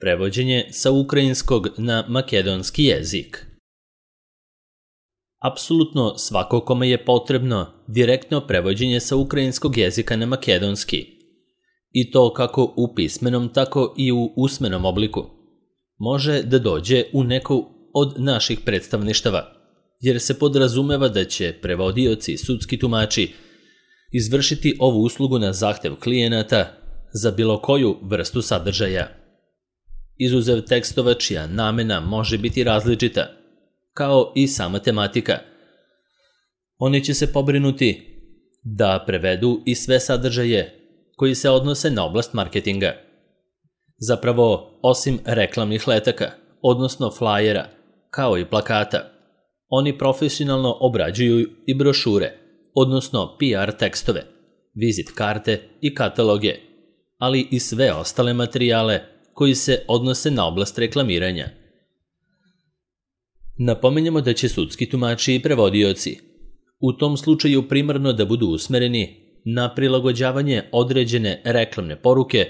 Prevođenje sa ukrajinskog na makedonski jezik. Apsolutno svako kome je potrebno direktno prevođenje sa ukrajinskog jezika na makedonski, i to kako u pismenom, tako i u usmenom obliku, može da dođe u neku od naših predstavništava, jer se podrazumeva da će prevodioci i sudski tumači izvršiti ovu uslugu na zahtev klijenata za bilo koju vrstu sadržaja. Izuzev tekstova čija namena može biti različita, kao i sama tematika. Oni će se pobrinuti da prevedu i sve sadržaje koji se odnose na oblast marketinga. Zapravo, osim reklamnih letaka, odnosno flajera, kao i plakata, oni profesionalno obrađuju i brošure, odnosno PR tekstove, vizit karte i kataloge, ali i sve ostale materijale koji se odnose na oblast reklamiranja. Napominjemo da će sudski tumači i prevodioci u tom slučaju primarno da budu usmereni na prilagođavanje određene reklamne poruke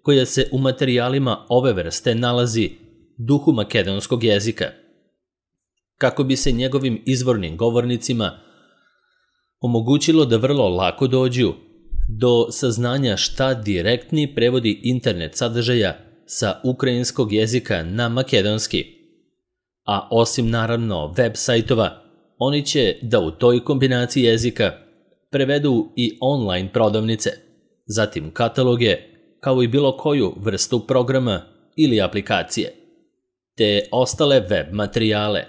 koja se u materijalima ove vrste nalazi duhu makedonskog jezika, kako bi se njegovim izvornim govornicima omogućilo da vrlo lako dođu do saznanja šta direktni prevodi internet sadržaja sa ukrajinskog jezika na makedonski. A osim naravno web sajtova, oni će da u toj kombinaciji jezika prevedu i online prodavnice, zatim kataloge, kao i bilo koju vrstu programa ili aplikacije, te ostale web materijale.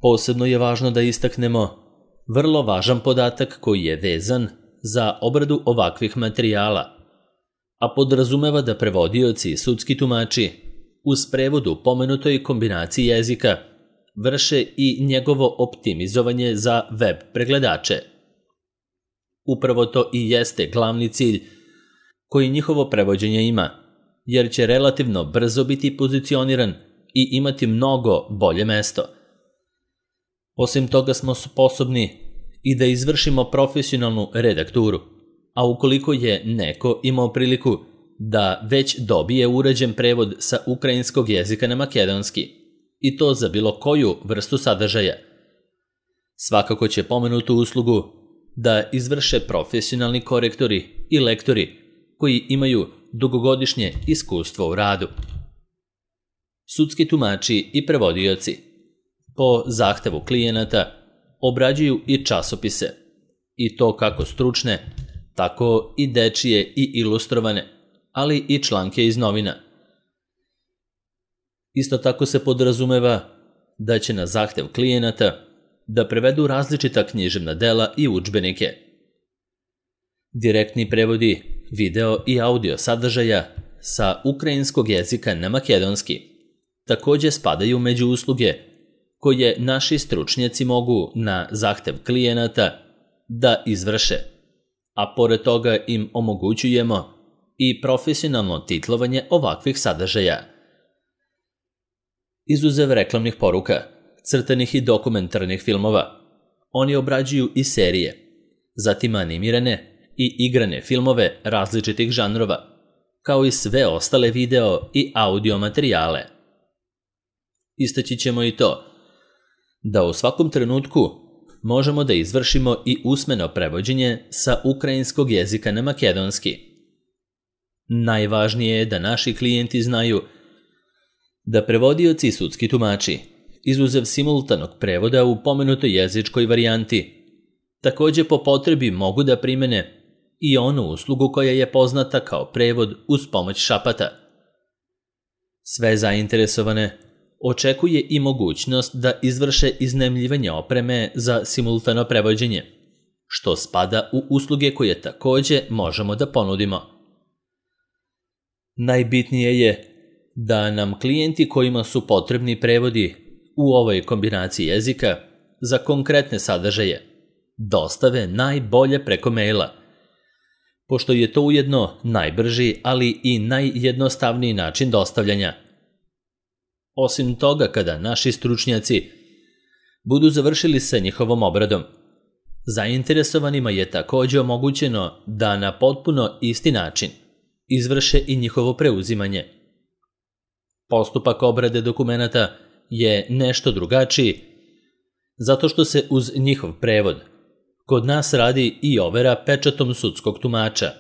Posebno je važno da istaknemo vrlo važan podatak koji je vezan za obradu ovakvih materijala, a podrazumeva da prevodioci i sudski tumači uz prevod u pomenutoj kombinaciji jezika vrše i njegovo optimizovanje za web pregledače. Upravo to i jeste glavni cilj koji njihovo prevođenje ima, jer će relativno brzo biti pozicioniran i imati mnogo bolje mesto. Osim toga smo sposobni i da izvršimo profesionalnu redakturu, a ukoliko je neko imao priliku da već dobije uređen prevod sa ukrajinskog jezika na makedonski, i to za bilo koju vrstu sadržaja, svakako će pomenutu uslugu da izvrše profesionalni korektori i lektori koji imaju dugogodišnje iskustvo u radu. Sudski tumači i prevodioci po zahtevu klijenata obrađuju i časopise, i to kako stručne, tako i dečije i ilustrovane, ali i članke iz novina. Isto tako se podrazumeva da će na zahtev klijenata da prevedu različita književna dela i udžbenike. Direktni prevodi video i audio sadržaja sa ukrajinskog jezika na makedonski takođe spadaju među usluge koje naši stručnjaci mogu na zahtev klijenata da izvrše, a pored toga im omogućujemo i profesionalno titlovanje ovakvih sadržaja. Izuzev reklamnih poruka, crtanih i dokumentarnih filmova, oni obrađuju i serije, zatim animirane i igrane filmove različitih žanrova, kao i sve ostale video i audio materijale. Istaći ćemo i to da u svakom trenutku možemo da izvršimo i usmeno prevođenje sa ukrajinskog jezika na makedonski. Najvažnije je da naši klijenti znaju da prevodioci i sudski tumači, izuzev simultanog prevoda u pomenutoj jezičkoj varijanti, takođe po potrebi mogu da primene i onu uslugu koja je poznata kao prevod uz pomoć šapata. Sve zainteresovane očekuje i mogućnost da izvrše iznajmljivanje opreme za simultano prevođenje, što spada u usluge koje takođe možemo da ponudimo. Najbitnije je da nam klijenti kojima su potrebni prevodi u ovoj kombinaciji jezika za konkretne sadržaje dostave najbolje preko maila, pošto je to ujedno najbrži, ali i najjednostavniji način dostavljanja. Osim toga, kada naši stručnjaci budu završili sa njihovom obradom, zainteresovanima je takođe omogućeno da na potpuno isti način izvrše i njihovo preuzimanje. Postupak obrade dokumenata je nešto drugačiji zato što se uz njihov prevod kod nas radi i overa pečatom sudskog tumača,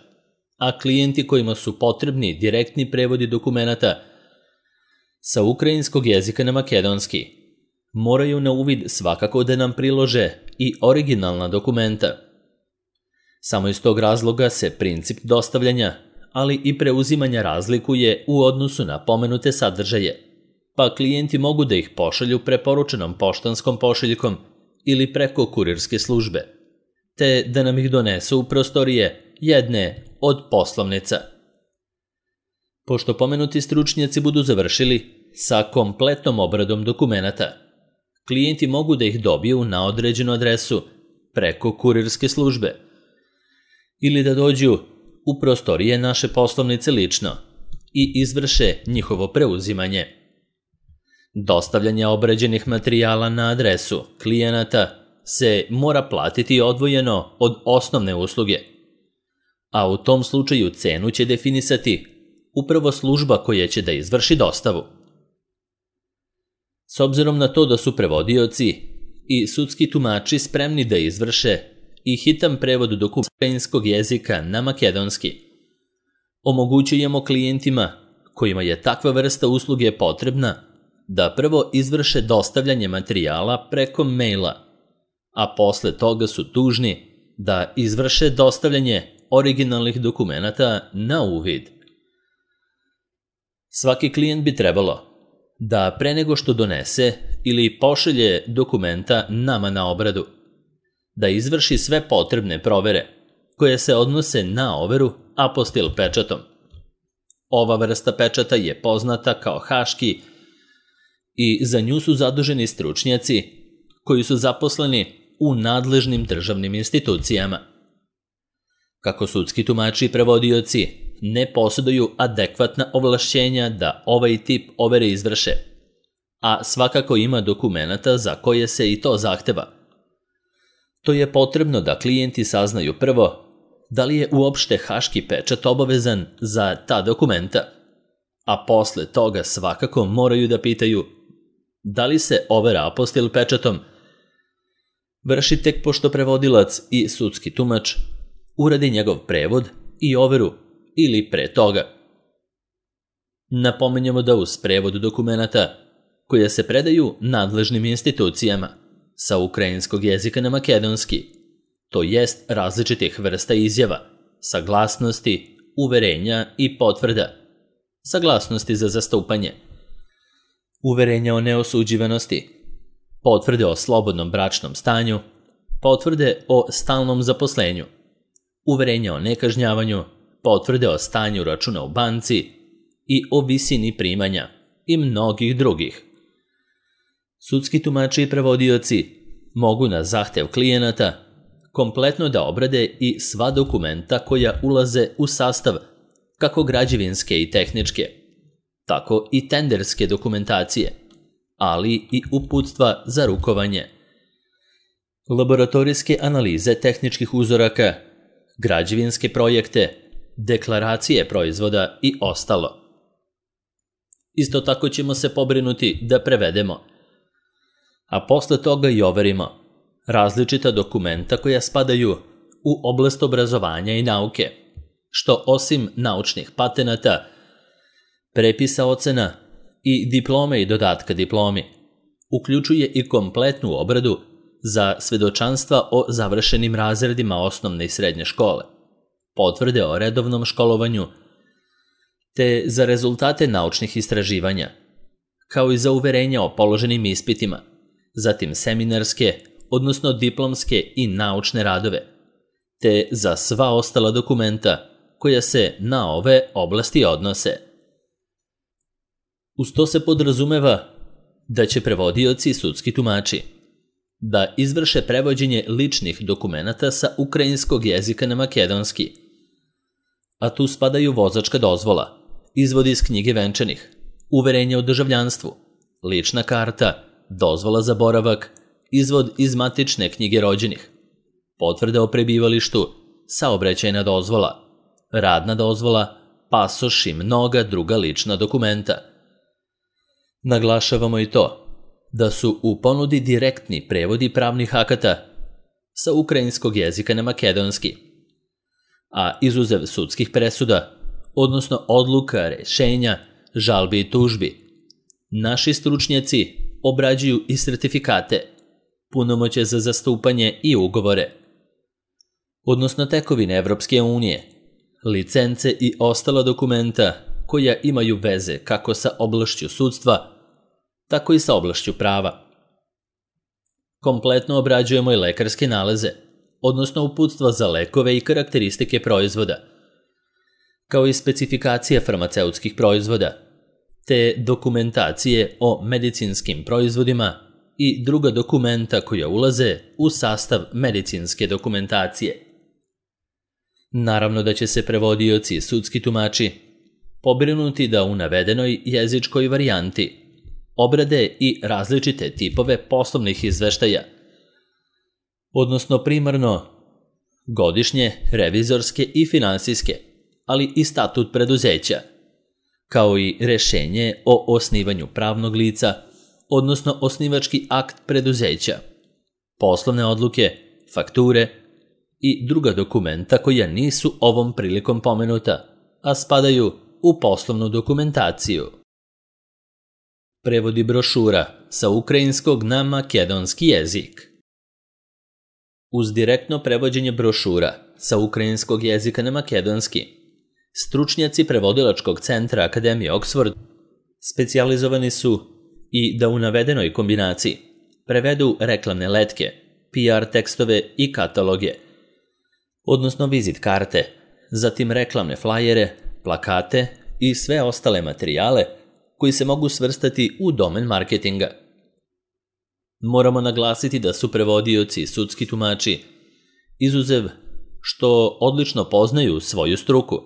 a klijenti kojima su potrebni direktni prevodi dokumenata sa ukrajinskog jezika na makedonski moraju na uvid svakako da nam prilože i originalna dokumenta. Samo iz tog razloga se princip dostavljanja, ali i preuzimanja razlikuje u odnosu na pomenute sadržaje, pa klijenti mogu da ih pošalju preporučenom poštanskom pošiljkom ili preko kurirske službe, te da nam ih donesu u prostorije jedne od poslovnica. Pošto pomenuti stručnjaci budu završili sa kompletnom obradom dokumenata, klijenti mogu da ih dobiju na određenu adresu preko kurirske službe ili da dođu u prostorije naše poslovnice lično i izvrše njihovo preuzimanje. Dostavljanje obrađenih materijala na adresu klijenata se mora platiti odvojeno od osnovne usluge, a u tom slučaju cenu će definisati upravo služba koja će da izvrši dostavu. S obzirom na to da su prevodioci i sudski tumači spremni da izvrše i hitan prevod dokumenta ukrajinskog jezika na makedonski, omogućujemo klijentima kojima je takva vrsta usluge potrebna da prvo izvrše dostavljanje materijala preko maila, a posle toga su dužni da izvrše dostavljanje originalnih dokumenata na uvid. Svaki klijent bi trebalo da pre nego što donese ili pošalje dokumenta nama na obradu, da izvrši sve potrebne provere koje se odnose na overu apostil pečatom. Ova vrsta pečata je poznata kao haški i za nju su zaduženi stručnjaci koji su zaposleni u nadležnim državnim institucijama. Kako sudski tumači i prevodioci ne posjeduju adekvatna ovlašćenja da ovaj tip overe izvrše, a svakako ima dokumenata za koje se i to zahteva. To je potrebno da klijenti saznaju prvo da li je uopšte haški pečat obavezan za ta dokumenta, a posle toga svakako moraju da pitaju da li se overa apostil pečatom vrši tek pošto prevodilac i sudski tumač uradi njegov prevod i overu ili pre toga. Napominjemo da uz prevod dokumenata koje se predaju nadležnim institucijama sa ukrajinskog jezika na makedonski, to jest različitih vrsta izjava, saglasnosti, uverenja i potvrda, saglasnosti za zastupanje, uverenja o neosuđivanosti, potvrde o slobodnom bračnom stanju, potvrde o stalnom zaposlenju, uverenja o nekažnjavanju, potvrde o stanju računa u banci i o visini primanja i mnogih drugih. Sudski tumači i prevodioci mogu na zahtev klijenata kompletno da obrade i sva dokumenta koja ulaze u sastav kako građevinske i tehničke, tako i tenderske dokumentacije, ali i uputstva za rukovanje, laboratorijske analize tehničkih uzoraka, građevinske projekte, deklaracije proizvoda i ostalo. Isto tako ćemo se pobrinuti da prevedemo, a posle toga i overimo različita dokumenta koja spadaju u oblast obrazovanja i nauke, što osim naučnih patenata, prepisa ocena i diplome i dodatka diplomi, uključuje i kompletnu obradu za svedočanstva o završenim razredima osnovne i srednje škole, potvrde o redovnom školovanju, te za rezultate naučnih istraživanja, kao i za uverenja o položenim ispitima, zatim seminarske, odnosno diplomske i naučne radove, te za sva ostala dokumenta koja se na ove oblasti odnose. Uz to se podrazumeva da će prevodioci i sudski tumači da izvrše prevođenje ličnih dokumenata sa ukrajinskog jezika na makedonski, a tu spadaju vozačka dozvola, izvod iz knjige venčanih, uverenje o državljanstvu, lična karta, dozvola za boravak, izvod iz matične knjige rođenih, potvrda o prebivalištu, saobraćajna dozvola, radna dozvola, pasoš i mnoga druga lična dokumenta. Naglašavamo i to da su u ponudi direktni prevodi pravnih akata sa ukrajinskog jezika na makedonski, a izuzev sudskih presuda, odnosno odluka, rešenja, žalbi i tužbi, naši stručnjaci obrađuju i sertifikate, punomoćje za zastupanje i ugovore, odnosno tekovine Evropske unije, licence i ostala dokumenta koja imaju veze kako sa oblašću sudstva, tako i sa oblašću prava. Kompletno obrađujemo i lekarske nalaze, odnosno uputstva za lekove i karakteristike proizvoda, kao i specifikacije farmaceutskih proizvoda, te dokumentacije o medicinskim proizvodima i druga dokumenta koja ulaze u sastav medicinske dokumentacije. Naravno da će se prevodioci i sudski tumači pobrinuti da u navedenoj jezičkoj varijanti obrade i različite tipove poslovnih izveštaja, odnosno primarno godišnje, revizorske i finansijske, ali i statut preduzeća, kao i rešenje o osnivanju pravnog lica, odnosno osnivački akt preduzeća, poslovne odluke, fakture i druga dokumenta koja nisu ovom prilikom pomenuta, a spadaju u poslovnu dokumentaciju. Prevodi brošura sa ukrajinskog na makedonski jezik. Uz direktno prevođenje brošura sa ukrajinskog jezika na makedonski, stručnjaci prevodilačkog centra Akademije Oxford specijalizovani su i da u navedenoj kombinaciji prevedu reklamne letke, PR tekstove i kataloge, odnosno vizit karte, zatim reklamne flajere, plakate i sve ostale materijale koji se mogu svrstati u domen marketinga. Moramo naglasiti da su prevodioci i sudski tumači, izuzev što odlično poznaju svoju struku,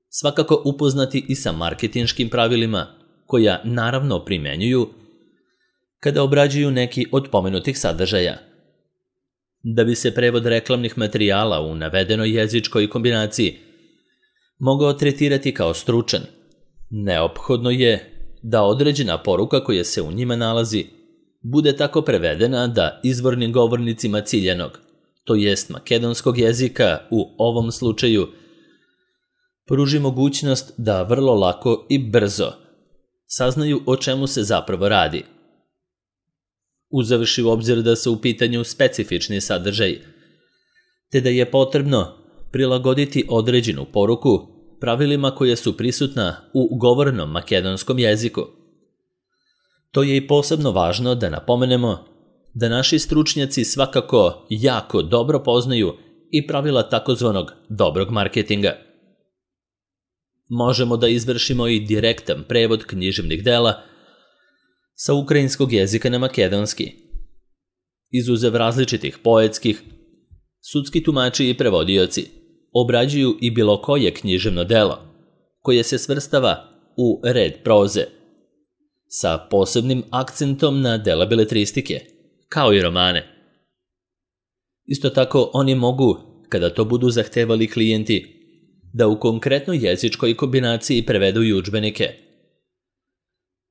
svakako upoznati i sa marketinškim pravilima koja naravno primenjuju kada obrađuju neki od pomenutih sadržaja. Da bi se prevod reklamnih materijala u navedenoj jezičkoj kombinaciji mogao tretirati kao stručan, neophodno je da određena poruka koja se u njima nalazi bude tako prevedena da izvornim govornicima ciljanog, to jest makedonskog jezika u ovom slučaju, pruži mogućnost da vrlo lako i brzo saznaju o čemu se zapravo radi. Uzevši u obzir da su u pitanju specifični sadržaj, te da je potrebno prilagoditi određenu poruku pravilima koja su prisutna u govornom makedonskom jeziku. To je i posebno važno da napomenemo da naši stručnjaci svakako jako dobro poznaju i pravila takozvanog dobrog marketinga. Možemo da izvršimo i direktan prevod književnih dela sa ukrajinskog jezika na makedonski. Izuzev različitih poetskih, sudski tumači i prevodioci obrađuju i bilo koje književno delo koje se svrstava u red proze, sa posebnim akcentom na dela beletristike, kao i romane. Isto tako oni mogu, kada to budu zahtevali klijenti, da u konkretnoj jezičkoj kombinaciji prevedu i udžbenike.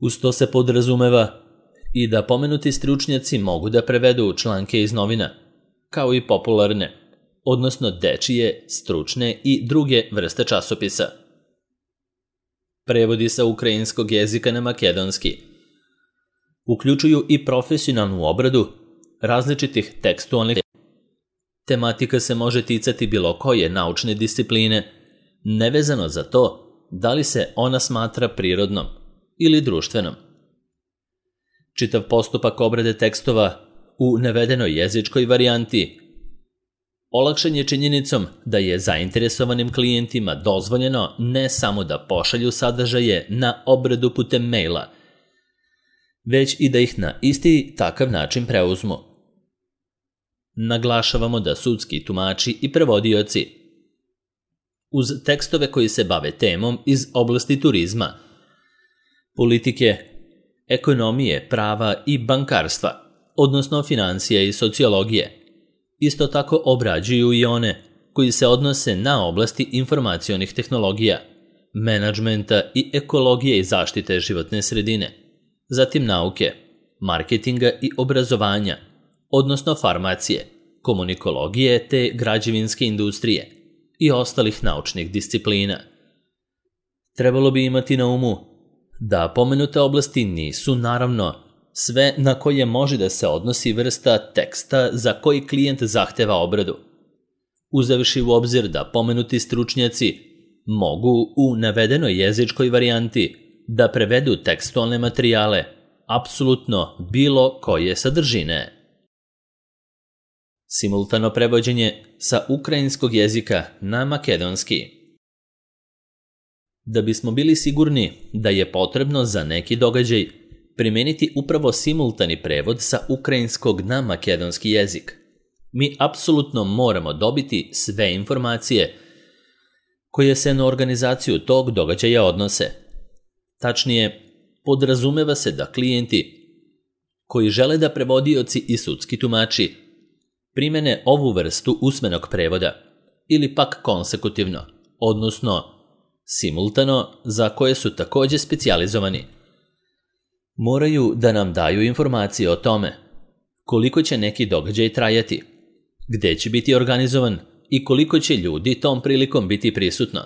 Uz to se podrazumeva i da pomenuti stručnjaci mogu da prevedu članke iz novina, kao i popularne, odnosno dečije, stručne i druge vrste časopisa. Prevodi sa ukrajinskog jezika na makedonski uključuju i profesionalnu obradu različitih tekstualnih. Tematika se može ticati bilo koje naučne discipline, nevezano za to da li se ona smatra prirodnom ili društvenom. Čitav postupak obrade tekstova u navedenoj jezičkoj varijanti olakšan je činjenicom da je zainteresovanim klijentima dozvoljeno ne samo da pošalju sadržaje na obradu putem maila, već i da ih na isti takav način preuzmu. Naglašavamo da sudski tumači i prevodioci, uz tekstove koji se bave temom iz oblasti turizma, politike, ekonomije, prava i bankarstva, odnosno financija i sociologije, isto tako obrađuju i one koji se odnose na oblasti informacionih tehnologija, menadžmenta i ekologije i zaštite životne sredine, zatim nauke, marketinga i obrazovanja, odnosno farmacije, komunikologije te građevinske industrije i ostalih naučnih disciplina. Trebalo bi imati na umu da pomenute oblasti nisu, naravno, sve na koje može da se odnosi vrsta teksta za koji klijent zahteva obradu. Uzevši u obzir da pomenuti stručnjaci mogu u navedenoj jezičkoj varijanti da prevedu tekstualne materijale apsolutno bilo koje sadržine. Simultano prevođenje sa ukrajinskog jezika na makedonski. Da bismo bili sigurni da je potrebno za neki događaj primeniti upravo simultani prevod sa ukrajinskog na makedonski jezik, mi apsolutno moramo dobiti sve informacije koje se na organizaciju tog događaja odnose. Tačnije, podrazumeva se da klijenti koji žele da prevodioci i sudski tumači primene ovu vrstu usmenog prevoda ili pak konsekutivno, odnosno simultano, za koje su takođe specijalizovani, moraju da nam daju informacije o tome koliko će neki događaj trajati, gde će biti organizovan i koliko će ljudi tom prilikom biti prisutno,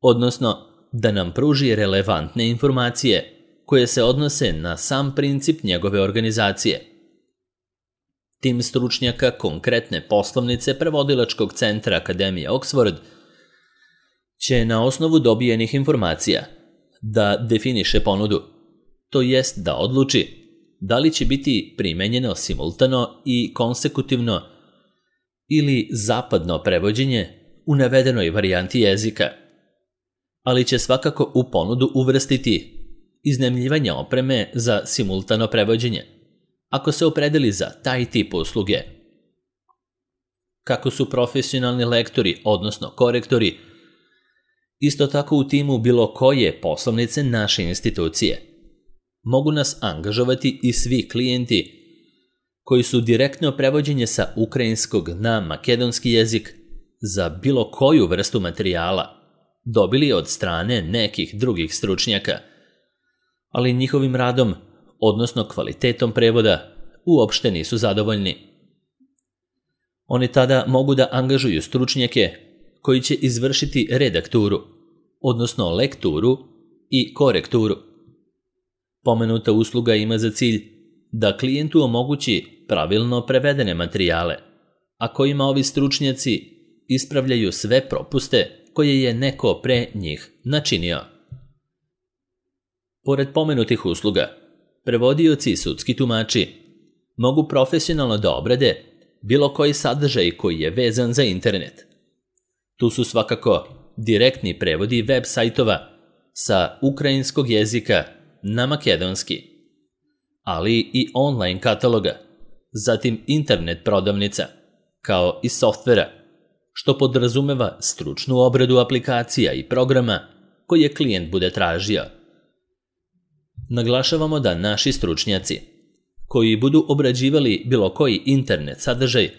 odnosno da nam pruži relevantne informacije koje se odnose na sam princip njegove organizacije. Tim stručnjaka konkretne poslovnice prevodilačkog centra Akademije Oxford će na osnovu dobijenih informacija da definiše ponudu, to jest da odluči da li će biti primenjeno simultano i konsekutivno ili zapadno prevođenje u navedenoj varijanti jezika, ali će svakako u ponudu uvrstiti iznajmljivanje opreme za simultano prevođenje, ako se opredeli za taj tip usluge. Kako su profesionalni lektori, odnosno korektori, isto tako u timu bilo koje poslovnice naše institucije, mogu nas angažovati i svi klijenti koji su direktno prevođenje sa ukrajinskog na makedonski jezik za bilo koju vrstu materijala dobili od strane nekih drugih stručnjaka, ali njihovim radom, odnosno kvalitetom prevoda, uopšte nisu zadovoljni. Oni tada mogu da angažuju stručnjake koji će izvršiti redakturu, odnosno lekturu i korekturu. Pomenuta usluga ima za cilj da klijentu omogući pravilno prevedene materijale, a kojima ovi stručnjaci ispravljaju sve propuste koje je neko pre njih načinio. Pored pomenutih usluga, prevodioci i sudski tumači mogu profesionalno da obrade bilo koji sadržaj koji je vezan za internet. Tu su svakako direktni prevodi web sajtova sa ukrajinskog jezika na makedonski, ali i online kataloga, zatim internet prodavnica, kao i softvera, što podrazumeva stručnu obradu aplikacija i programa koje klijent bude tražio. Naglašavamo da naši stručnjaci, koji budu obrađivali bilo koji internet sadržaj,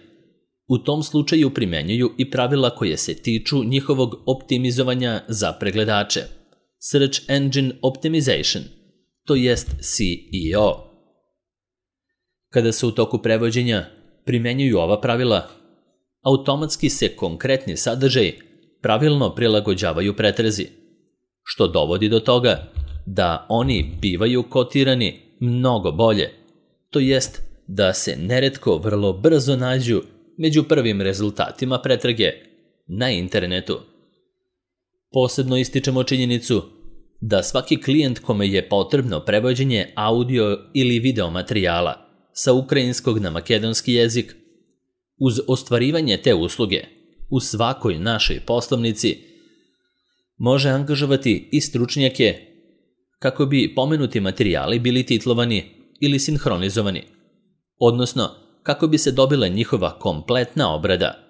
u tom slučaju primenjuju i pravila koje se tiču njihovog optimizovanja za pregledače, Search Engine Optimization, to jest SEO. Kada se u toku prevođenja primenjuju ova pravila, automatski se konkretni sadržaj pravilno prilagođavaju pretrazi, što dovodi do toga da oni bivaju kotirani mnogo bolje, to jest da se neretko vrlo brzo nađu među prvim rezultatima pretrage na internetu. Posebno ističemo činjenicu da svaki klijent kome je potrebno prevođenje audio ili video materijala sa ukrajinskog na makedonski jezik, uz ostvarivanje te usluge u svakoj našoj poslovnici, može angažovati i stručnjake kako bi pomenuti materijali bili titlovani ili sinhronizovani, odnosno kako bi se dobila njihova kompletna obrada,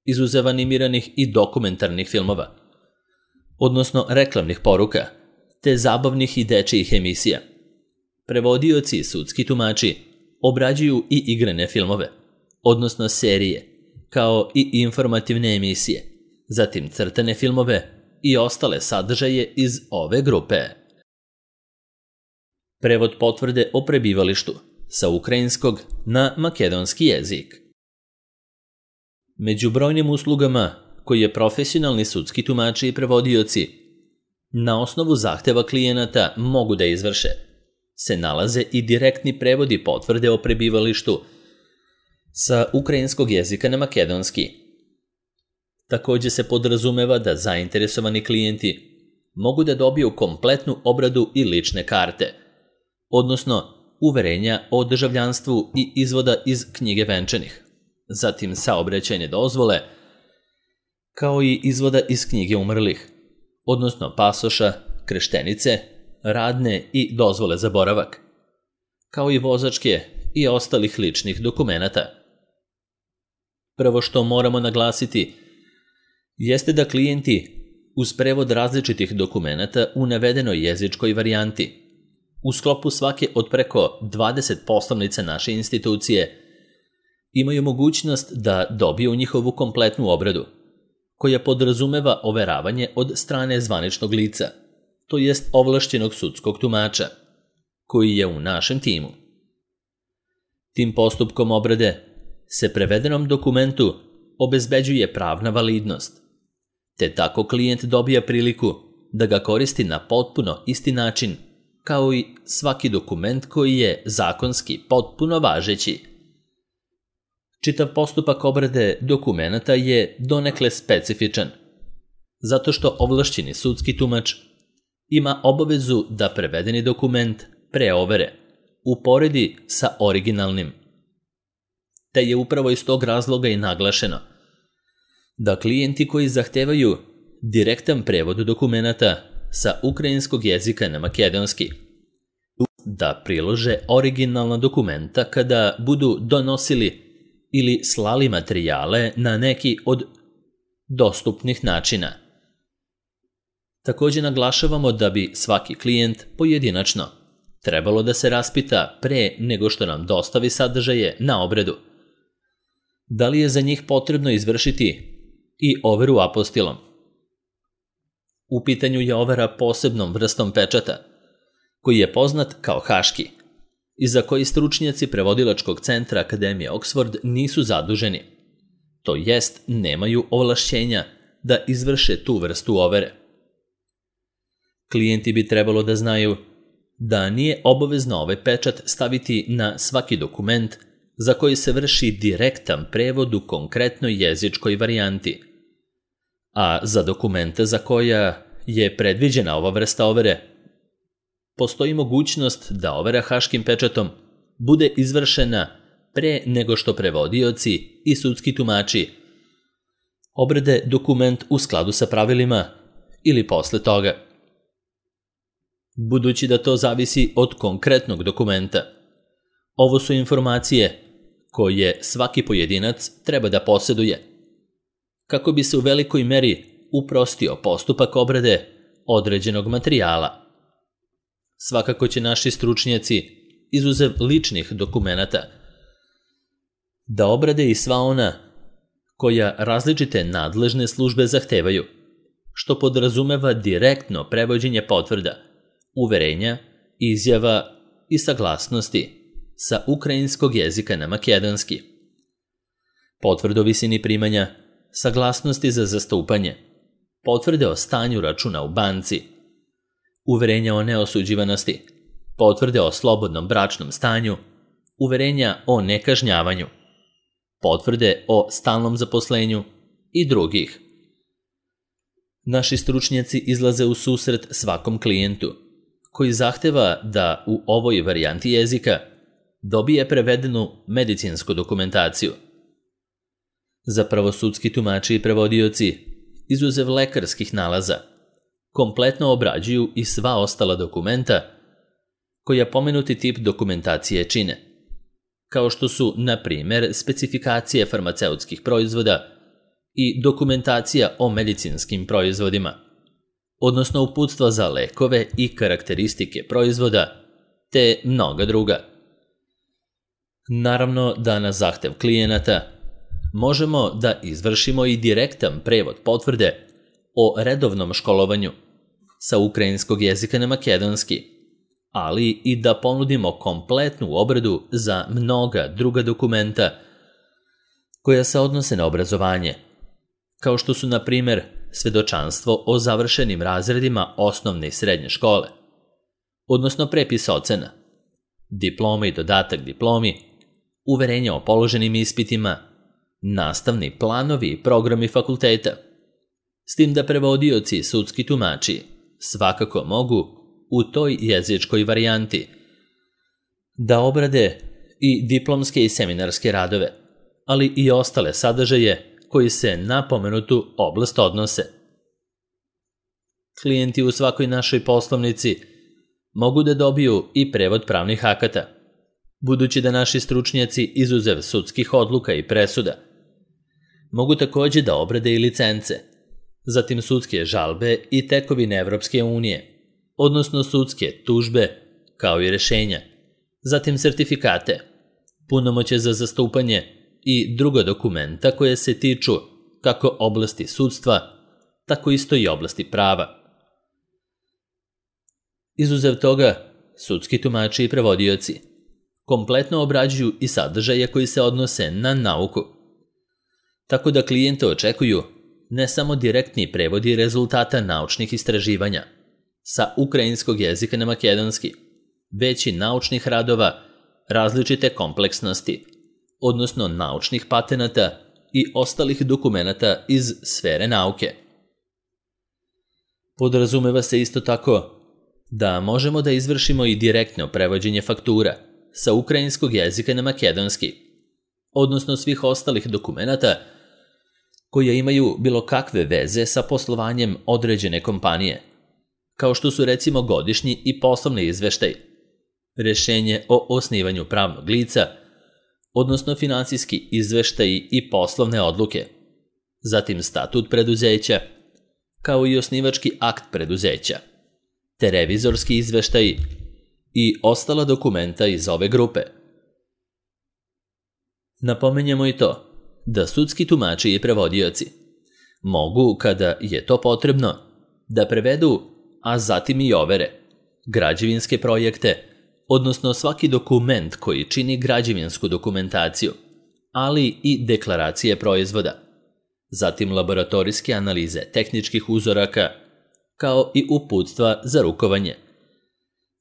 izuzev animiranih i dokumentarnih filmova, odnosno reklamnih poruka, te zabavnih i dečijih emisija. Prevodioci i sudski tumači obrađuju i igrane filmove, odnosno serije, kao i informativne emisije, zatim crtane filmove i ostale sadržaje iz ove grupe. Prevod potvrde o prebivalištu sa ukrajinskog na makedonski jezik. Među brojnim uslugama koje profesionalni sudski tumači i prevodioci na osnovu zahteva klijenata mogu da izvrše se nalaze i direktni prevodi potvrde o prebivalištu sa ukrajinskog jezika na makedonski. Takođe se podrazumeva da zainteresovani klijenti mogu da dobiju kompletnu obradu i lične karte, odnosno uverenja o državljanstvu i izvoda iz knjige venčanih, zatim saobraćajne dozvole, kao i izvoda iz knjige umrlih, odnosno pasoša, kreštenice, radne i dozvole za boravak, kao i vozačke i ostalih ličnih dokumenata. Prvo što moramo naglasiti jeste da klijenti uz prevod različitih dokumenata u navedenoj jezičkoj varijanti u sklopu svake od preko 20 poslovnica naše institucije imaju mogućnost da dobiju njihovu kompletnu obradu, koja podrazumeva overavanje od strane zvaničnog lica, to jest ovlašćenog sudskog tumača, koji je u našem timu. Tim postupkom obrade se prevedenom dokumentu obezbeđuje pravna validnost, te tako klijent dobija priliku da ga koristi na potpuno isti način kao i svaki dokument koji je zakonski potpuno važeći. Čitav postupak obrade dokumenata je donekle specifičan, zato što ovlašćeni sudski tumač ima obavezu da prevedeni dokument pre overe uporedi sa originalnim. Te je upravo iz tog razloga i naglašeno da klijenti koji zahtevaju direktan prevod dokumenata sa ukrajinskog jezika na makedonski da prilože originalna dokumenta kada budu donosili ili slali materijale na neki od dostupnih načina. Takođe naglašavamo da bi svaki klijent pojedinačno trebalo da se raspita pre nego što nam dostavi sadržaje na obradu. Da li je za njih potrebno izvršiti i overu apostilom? U pitanju je overa posebnom vrstom pečata, koji je poznat kao haški i za koji stručnjaci prevodilačkog centra Akademije Oxford nisu zaduženi, to jest nemaju ovlašćenja da izvrše tu vrstu overe. Klijenti bi trebalo da znaju da nije obavezno ovaj pečat staviti na svaki dokument za koji se vrši direktan prevod u konkretnoj jezičkoj varijanti, a za dokumente za koja je predviđena ova vrsta overe postoji mogućnost da overa haškim pečatom bude izvršena pre nego što prevodioci i sudski tumači obrade dokument u skladu sa pravilima ili posle toga. Budući da to zavisi od konkretnog dokumenta, ovo su informacije koje svaki pojedinac treba da poseduje, kako bi se u velikoj meri uprostio postupak obrade određenog materijala. Svakako će naši stručnjaci, izuzev ličnih dokumenata, da obrade i sva ona koja različite nadležne službe zahtevaju, što podrazumeva direktno prevođenje potvrda, uverenja, izjava i saglasnosti sa ukrajinskog jezika na makedonski. Potvrde o visini primanja, saglasnosti za zastupanje, potvrde o stanju računa u banci, uverenja o neosuđivanosti, potvrde o slobodnom bračnom stanju, uverenja o nekažnjavanju, potvrde o stalnom zaposlenju i drugih. Naši stručnjaci izlaze u susret svakom klijentu koji zahteva da u ovoj varijanti jezika dobije prevedenu medicinsku dokumentaciju. Zapravo sudski tumači i prevodioci, izuzev lekarskih nalaza, kompletno obrađuju i sva ostala dokumenta koja pomenuti tip dokumentacije čine, kao što su, na primer, specifikacije farmaceutskih proizvoda i dokumentacija o medicinskim proizvodima, odnosno uputstva za lekove i karakteristike proizvoda, te mnoga druga. Naravno da na zahtev klijenata možemo da izvršimo i direktan prevod potvrde o redovnom školovanju sa ukrajinskog jezika na makedonski, ali i da ponudimo kompletnu obradu za mnoga druga dokumenta koja se odnose na obrazovanje, kao što su, na primjer, svedočanstvo o završenim razredima osnovne i srednje škole, odnosno prepis ocena, diploma i dodatak diplomi, uverenja o položenim ispitima, nastavni planovi i programi fakulteta, s tim da prevodioci i sudski tumači svakako mogu u toj jezičkoj varijanti da obrade i diplomske i seminarske radove, ali i ostale sadržaje koji se na pomenutu oblast odnose. Klijenti u svakoj našoj poslovnici mogu da dobiju i prevod pravnih akata, budući da naši stručnjaci, izuzev sudskih odluka i presuda, mogu takođe da obrade i licence, zatim sudske žalbe i tekovine Evropske unije, odnosno sudske tužbe, kao i rešenja, zatim sertifikate, punomoćje za zastupanje i druga dokumenta koje se tiču kako oblasti sudstva, tako isto i oblasti prava. Izuzev toga, sudski tumači i prevodioci kompletno obrađuju i sadržaje koji se odnose na nauku, tako da klijente očekuju ne samo direktni prevodi rezultata naučnih istraživanja sa ukrajinskog jezika na makedonski, već i naučnih radova različite kompleksnosti, odnosno naučnih patenata i ostalih dokumenata iz sfere nauke. Podrazumeva se isto tako da možemo da izvršimo i direktno prevođenje faktura sa ukrajinskog jezika na makedonski, odnosno svih ostalih dokumenata koje imaju bilo kakve veze sa poslovanjem određene kompanije, kao što su recimo godišnji i poslovni izveštaj, rešenje o osnivanju pravnog lica, odnosno finansijski izveštaji i poslovne odluke, zatim statut preduzeća, kao i osnivački akt preduzeća, te revizorski izveštaji i ostala dokumenta iz ove grupe. Napomenjemo i to da sudski tumači i prevodioci mogu, kada je to potrebno, da prevedu, a zatim i overe, građevinske projekte, odnosno svaki dokument koji čini građevinsku dokumentaciju, ali i deklaracije proizvoda, zatim laboratorijske analize tehničkih uzoraka, kao i uputstva za rukovanje,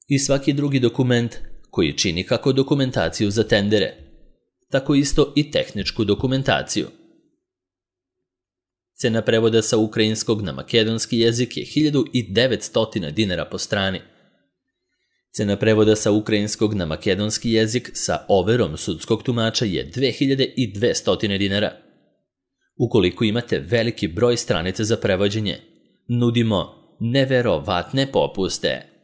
i svaki drugi dokument koji čini kako dokumentaciju za tendere, tako isto i tehničku dokumentaciju. Cena prevoda sa ukrajinskog na makedonski jezik je 1900 dinara po strani. Cena prevoda sa ukrajinskog na makedonski jezik sa overom sudskog tumača je 2200 dinara. Ukoliko imate veliki broj stranica za prevođenje, nudimo neverovatne popuste.